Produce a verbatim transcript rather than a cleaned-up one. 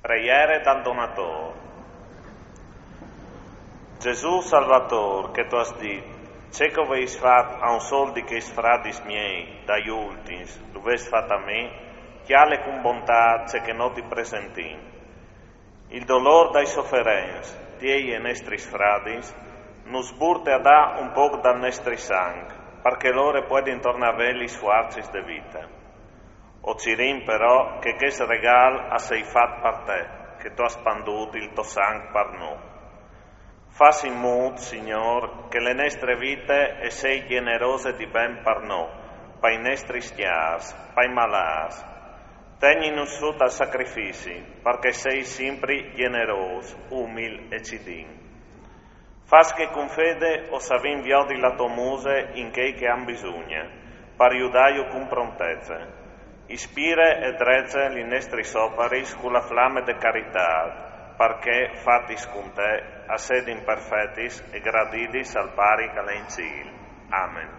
Preiere dal Donator. Gesù Salvator, che tu âs dit: Ce che o veis fat a un sol di cheis fradis miei, dai ultins, lu veis fat a mi, cjale cun bontât ce che nô ti presentìn. Il dolôr dai soferents, tiei e nestris fradis, nus burte a dâ un pôc dal nestri sanc, par che lôr a puedin tornâ a vê lis fuarcis de vite. O cirìn però che chest regâl al sei fat par te, che tu âs spandût il to sanc par nô. Fâs in mût, Signôr, che le nestre vite e sei gjenerose di ben par nô, pai nestris cjârs, pai malâts. Tegnìnus sù tal sacrifici, par che o sei simpri gjenerôs, umil e cidin. Fâs che cun fede o savìn viodi la tô muse in chei che a àn bisugne, par judâju cun prontece. Ispire e drece lis nestris oparis cu la flame de caritât, par che, fatis cun te, a sedin perfetis e gradidis al Pari che al è in cîl. Amen.